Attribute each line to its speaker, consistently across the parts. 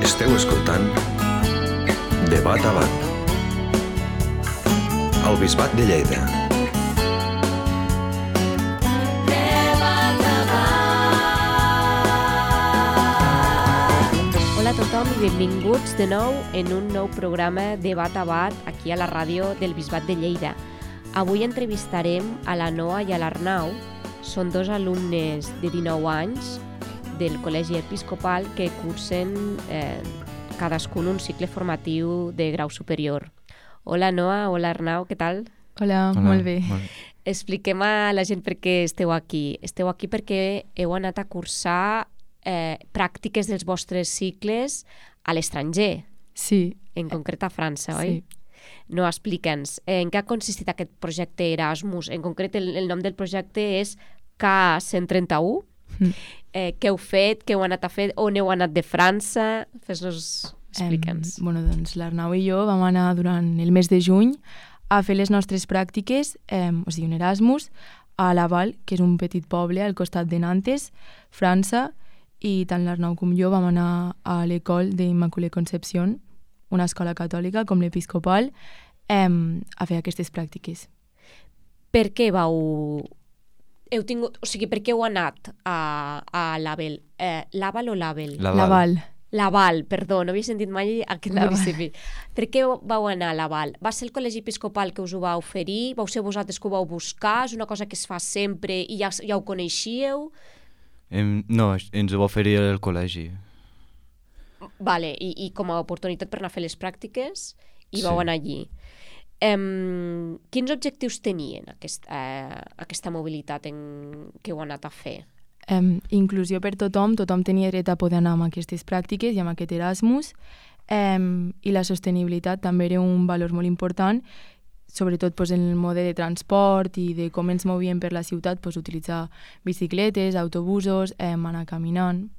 Speaker 1: Esteu escoltant Debat a Bat al Bisbat de Lleida.
Speaker 2: Hola a tothom i benvinguts de nou en un nou programa Debat a Bat aquí a la ràdio del Bisbat de Lleida. Avui entrevistarem a la Noa i a l'Arnau. Són dos alumnes de 19 anys del Col·legi Episcopal que cursen cadascun un cicle formatiu de grau superior. Hola Noa, hola Arnau, què tal?
Speaker 3: Hola, molt bé.
Speaker 2: Expliquem a la gent per què esteu aquí. Esteu aquí perquè heu anat a cursar pràctiques dels vostres cicles a l'estranger.
Speaker 3: Sí.
Speaker 2: En concret a França, oi?
Speaker 3: Sí.
Speaker 2: No, explica'ns, en què ha consistit aquest projecte Erasmus? En concret, el nom del projecte és K131. Què heu fet, què heu anat a fer, on heu anat de França? Explica'ns.
Speaker 3: Doncs l'Arnau i jo vam anar durant el mes de juny a fer les nostres pràctiques, o sigui, un Erasmus, a Laval, que és un petit poble al costat de Nantes, França, i tant l'Arnau com jo vam anar a l'École d'Immaculée Conception, una escola catòlica com l'Episcopal, a fer aquestes pràctiques.
Speaker 2: Per què heu tingut, o sigui, per què heu anat a Laval? Laval o Laval?
Speaker 3: Laval.
Speaker 2: Laval, perdó, no havia sentit mai aquest municipi. Per què vau anar a Laval? Va ser el Col·legi Episcopal que us ho va oferir? Vau ser vosaltres que ho vau buscar? És una cosa que es fa sempre i ja ho coneixíeu?
Speaker 4: No, ens ho va oferir el col·legi.
Speaker 2: Vale, i com a oportunitat per anar a fer les pràctiques i vau anar allí. Quins objectius tenien aquesta mobilitat que heu anat a fer?
Speaker 3: Inclusió per tothom tenia dret a poder anar amb aquestes pràctiques i amb aquest Erasmus, i la sostenibilitat també era un valor molt important, sobretot en el mode de transport i de com ens movíem per la ciutat, utilitzar bicicletes, autobusos, anar caminant.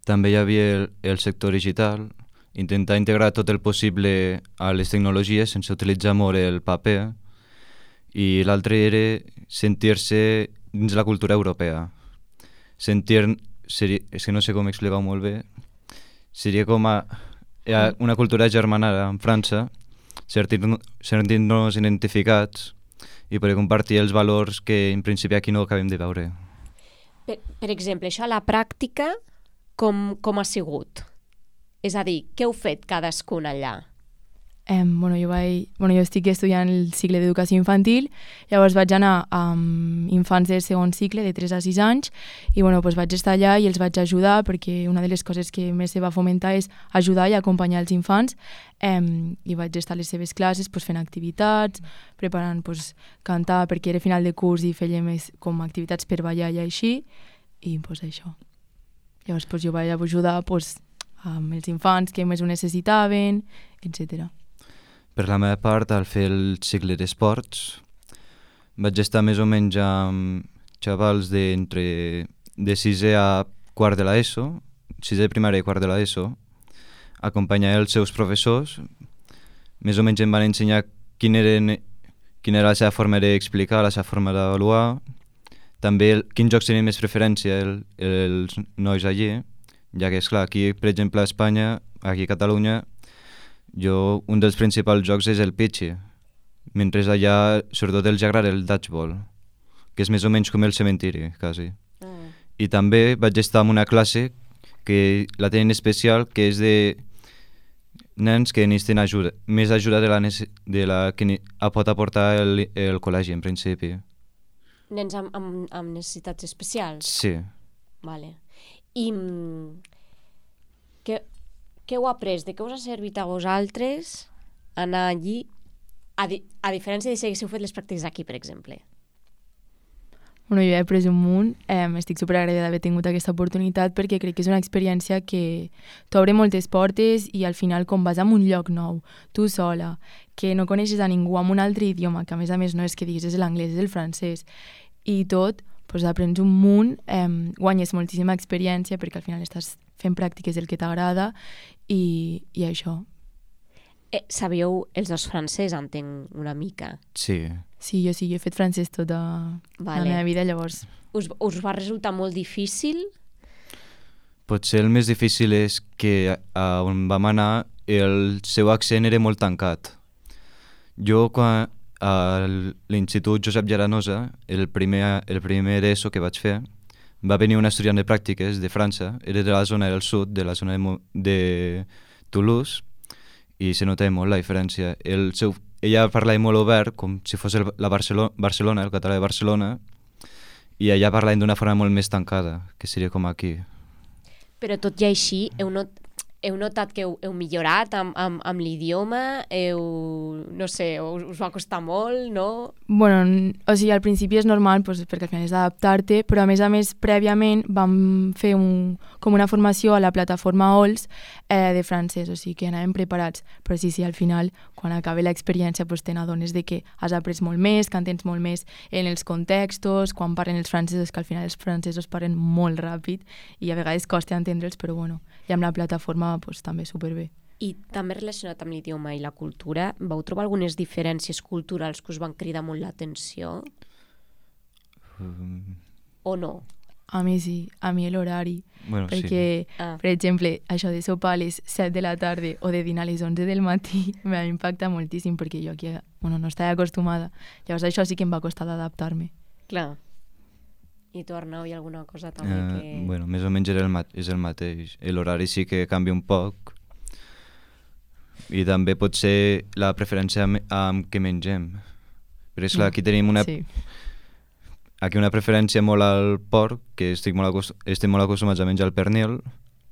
Speaker 4: També hi havia el sector digital, intentar integrar tot el possible a les tecnologies sense utilitzar molt el paper, i l'altre era sentir-se dins la cultura europea. És que no sé com explicar-ho molt bé, seria com una cultura germanada en França, sentir-nos identificats i poder compartir els valors que en principi aquí no acabem de veure.
Speaker 2: Per exemple, això a la pràctica com ha sigut? És a dir, què heu fet cadascun allà?
Speaker 3: Jo estic estudiant el cicle d'educació infantil, llavors vaig anar amb infants del segon cicle, de 3 a 6 anys, i vaig estar allà i els vaig ajudar, perquè una de les coses que més se va fomentar és ajudar i acompanyar els infants, i vaig estar a les seves classes fent activitats, preparant cantar, perquè era final de curs i fèiem com activitats per ballar i així, i això. Llavors jo vaig ajudar amb els infants que més ho necessitaven, etc.
Speaker 4: Per la meva part, al fer el cicle d'esports, vaig estar més o menys amb xavals de 6è a quart de l'ESO, 6è de primària i quart de l'ESO, acompanyar els seus professors, més o menys em van ensenyar quina era la seva forma d'explicar, la seva forma d'avaluar, també quins jocs tenien més preferència els nois allí, ja que, esclar, aquí, per exemple, a Espanya, aquí a Catalunya, un dels principals jocs és el pitxi, mentre allà, sobretot, els agrada el dodgeball, que és més o menys com el cementiri, quasi. I també vaig estar en una classe que la tenen especial, que és de nens que necessiten ajuda, més ajuda de la que pot aportar el col·legi, en principi.
Speaker 2: Nens amb necessitats especials?
Speaker 4: Sí.
Speaker 2: Vale. I què heu après? De què us ha servit a vosaltres anar allí, a diferència de si haguéssiu fet les pràctiques aquí, per exemple?
Speaker 3: Jo he après un munt, estic superagraïda d'haver tingut aquesta oportunitat perquè crec que és una experiència que t'obre moltes portes i al final com vas a un lloc nou, tu sola, que no coneixes a ningú amb un altre idioma, que a més no és que diguis és l'anglès, és el francès, i tot, aprens un munt, guanyes moltíssima experiència perquè al final estàs fent pràctiques del que t'agrada i això.
Speaker 2: Sabíeu els dos francès, entenc una mica?
Speaker 4: Sí.
Speaker 3: Sí, jo he fet francès tota la meva vida, llavors.
Speaker 2: Us va resultar molt difícil?
Speaker 4: Potser el més difícil és que on vam anar el seu accent era molt tancat. Jo, quan a l'Institut Josep Llaranosa, el primer ESO que vaig fer, va venir un estudiant de pràctiques de França, era de la zona del sud, de la zona de Toulouse, i se notava molt la diferència. Ella parlava molt obert, com si fos Barcelona, el català de Barcelona, i ella parlava d'una forma molt més tancada, que seria com aquí.
Speaker 2: Però tot i així, heu notat que heu millorat amb l'idioma? No sé, us va costar molt, no?
Speaker 3: Bueno, o sigui, al principi és normal perquè al final és d'adaptar-te, però a més, prèviament vam fer com una formació a la plataforma OLS de francès, o sigui que anàvem preparats. Però sí, al final, quan acaba l'experiència, te n'adones de que has après molt més, que entens molt més en els contextos, quan parlen els francesos, que al final els francesos parlen molt ràpid i a vegades costa entendre'ls, però bueno, i amb la plataforma també superbé.
Speaker 2: I també relacionat amb l'idioma i la cultura, vau trobar algunes diferències culturals que us van cridar molt l'atenció? O no?
Speaker 3: A mi sí, a mi l'horari.
Speaker 4: Bueno,
Speaker 3: perquè,
Speaker 4: sí.
Speaker 3: Per exemple, això de sopar a les 7 de la tarda o de dinar a les 11 del matí m'impacta moltíssim perquè jo aquí no estava acostumada. Llavors això sí que em va costar d'adaptar-me.
Speaker 2: Clar. I tu, Arnau, hi ha alguna cosa també que...
Speaker 4: Bueno, més o menys és el mateix. L'horari sí que canvia un poc. I també pot ser la preferència amb què mengem. Però és clar, aquí tenim aquí una preferència molt al porc, que estem molt acostumats a menjar el pernil,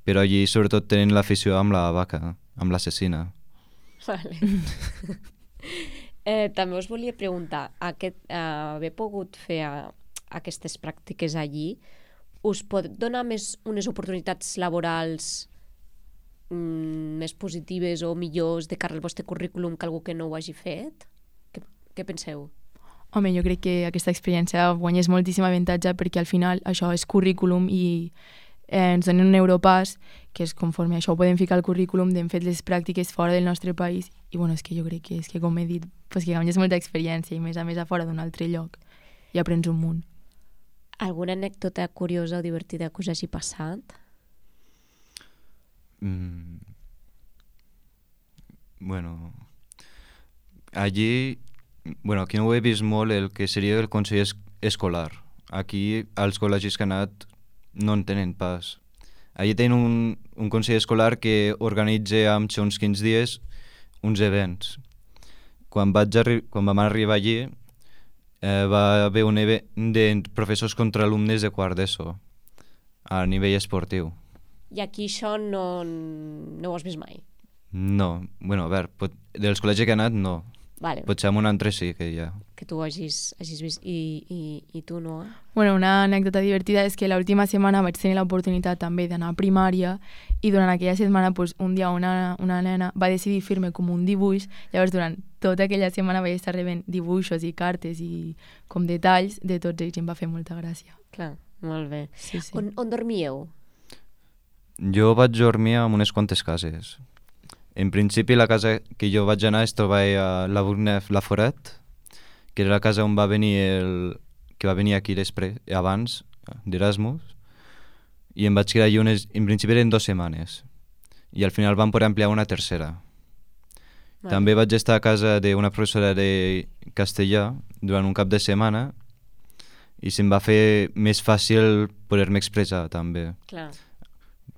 Speaker 4: però allí sobretot tenen l'afició amb la vaca, amb l'assassina.
Speaker 2: Vale. També us volia preguntar, haver pogut fer aquestes pràctiques allí, us pot donar unes oportunitats laborals més positives o millors de cara al vostre currículum que algú que no ho hagi fet? Què penseu?
Speaker 3: Home, jo crec que aquesta experiència guanyés moltíssim avantatge perquè al final això és currículum i ens donen un Europass, que és conforme això ho podem ficar al currículum, d'hem fet les pràctiques fora del nostre país i bueno, és que jo crec que com he dit, que guanyes molta experiència i més a més a fora d'un altre lloc i aprens un munt.
Speaker 2: Alguna anècdota curiosa o divertida que us hagi passat?
Speaker 4: Bueno, aquí no ho he vist molt el que seria el consell escolar. Aquí, als col·legis que he anat, no en tenen pas. Allí tenen un consell escolar que organitza amb uns 15 dies uns events. Quan vam arribar allí, va haver un event de professors contra alumnes de quart d'ESO a nivell esportiu.
Speaker 2: I aquí això no ho has vist mai?
Speaker 4: No, bueno, a veure, dels col·legis que he anat no.
Speaker 2: Vale.
Speaker 4: Potser amb un altre sí que hi ha.
Speaker 2: Que tu hagis vist i tu no?
Speaker 3: Bueno, una anècdota divertida és que l'última setmana vaig tenir l'oportunitat també d'anar a primària i durant aquella setmana un dia una nena va decidir fer-me com un dibuix. Llavors durant tota aquella setmana vaig estar rebent dibuixos i cartes i com detalls de tots ells i em va fer molta gràcia.
Speaker 2: Clar, molt bé.
Speaker 3: Sí.
Speaker 2: On dormíeu?
Speaker 4: Jo vaig dormir en unes quantes cases. En principi, la casa que jo vaig anar es trobava a la Bourgneuf-la-Forêt, que era la casa on va venir que va venir aquí abans, d'Erasmus, i em vaig quedar allí en principi eren 2 setmanes, i al final vam poder ampliar una tercera. Vale. També vaig estar a casa d'una professora de castellà durant un cap de setmana, i se'm va fer més fàcil poder-me expressar, també.
Speaker 2: Clar.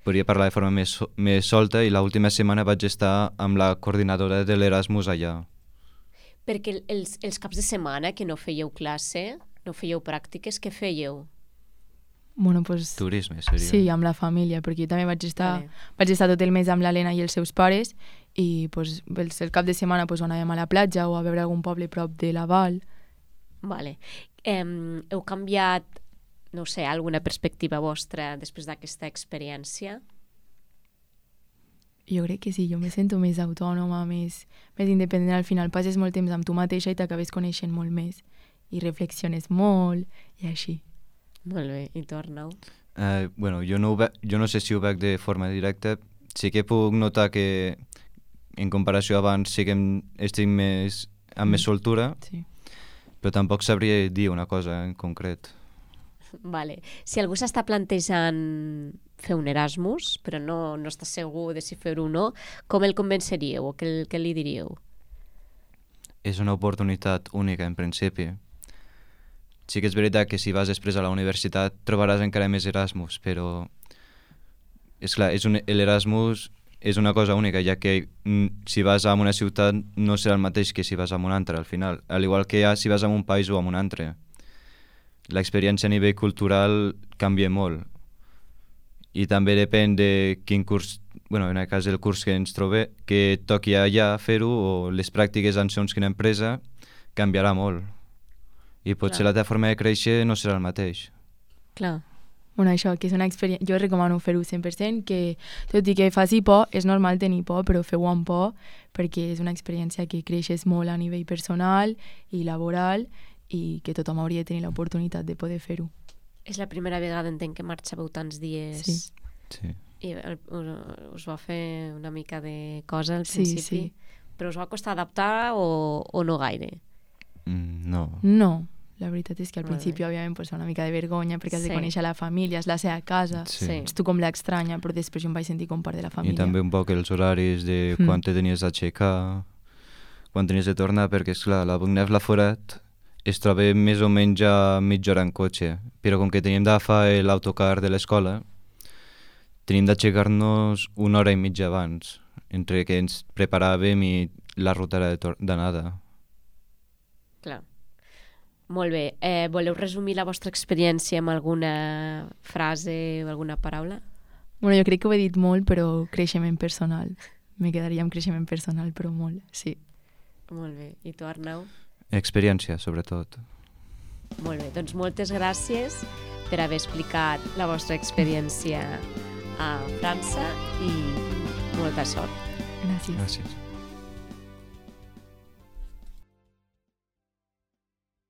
Speaker 4: Podria parlar de forma més solta i l'última setmana vaig estar amb la coordinadora de l'Erasmus allà.
Speaker 2: Perquè els caps de setmana que no fèieu classe, no fèieu pràctiques, què fèieu?
Speaker 3: Bueno, pues...
Speaker 4: Turisme, seria.
Speaker 3: Sí, amb la família, perquè jo també vaig estar tot el mes amb l'Helena i els seus pares i pues, el cap de setmana pues, anàvem a la platja o a veure algun poble prop de la Val.
Speaker 2: Vale. Heu canviat, no sé, alguna perspectiva vostra després d'aquesta experiència?
Speaker 3: Jo crec que sí, jo me sento més autònoma, més independent. Al final passes molt temps amb tu mateixa i t'acabes coneixent molt més i reflexiones molt i així.
Speaker 2: Molt bé, i tu, Arnau?
Speaker 4: Bueno, jo no sé si ho veig de forma directa. Sí que puc notar que en comparació abans sí que estic amb més soltura,
Speaker 3: sí.
Speaker 4: Però tampoc sabria dir una cosa en concret.
Speaker 2: Vale. Si algú s'està plantejant fer un Erasmus, però no està segur de si fer-ho o no, com el convenceríeu o què li diríeu?
Speaker 4: És una oportunitat única, en principi. Sí que és veritat que si vas després a la universitat trobaràs encara més Erasmus, però és clar, l'Erasmus és una cosa única, ja que si vas a una ciutat no serà el mateix que si vas a un altre, al final. Al igual que si vas a un país o a un altre. L'experiència a nivell cultural canvia molt. I també depèn de quin curs, en el cas del curs que ens trobem, que toqui allà fer-ho, o les pràctiques en segons quina empresa, canviarà molt. I potser la teva forma de créixer no serà el mateix.
Speaker 2: Clar.
Speaker 3: Bueno, això, que és una experiència... Jo recomano fer-ho 100%, que tot i que faci por, és normal tenir por, però feu-ho amb por, perquè és una experiència que creixes molt a nivell personal i laboral i que tothom hauria de tenir l'oportunitat de poder fer-ho.
Speaker 2: És la primera vegada, entenc, que marxàveu tants dies.
Speaker 4: Sí.
Speaker 2: I us va fer una mica de cosa al principi.
Speaker 3: Sí.
Speaker 2: Però us va costar adaptar o no gaire?
Speaker 4: No.
Speaker 3: No. La veritat és que al principi, òbviament, pues, una mica de vergonya perquè has de conèixer la família, és la seva casa, ets tu com l'estranya, però després jo em vaig sentir com part de la família.
Speaker 4: I també un poc els horaris de quan te tenies d'aixecar, quan tenies de tornar, perquè, esclar, la Bugneuf-Laforet es troba més o menys a mitja hora en cotxe, però com que teníem d'agafar l'autocar de l'escola, tenim d'aixecar-nos una hora i mitja abans, entre que ens preparàvem i la ruta d'anada.
Speaker 2: Clar. Molt bé. Voleu resumir la vostra experiència amb alguna frase o alguna paraula?
Speaker 3: Bueno, jo crec que ho he dit molt, però creixement personal. Me quedaria amb creixement personal, però molt, sí.
Speaker 2: Molt bé. I tu, Arnau?
Speaker 4: Experiència, sobretot.
Speaker 2: Molt bé. Doncs moltes gràcies per haver explicat la vostra experiència a França i molta sort.
Speaker 3: Gràcies.
Speaker 4: Gràcies.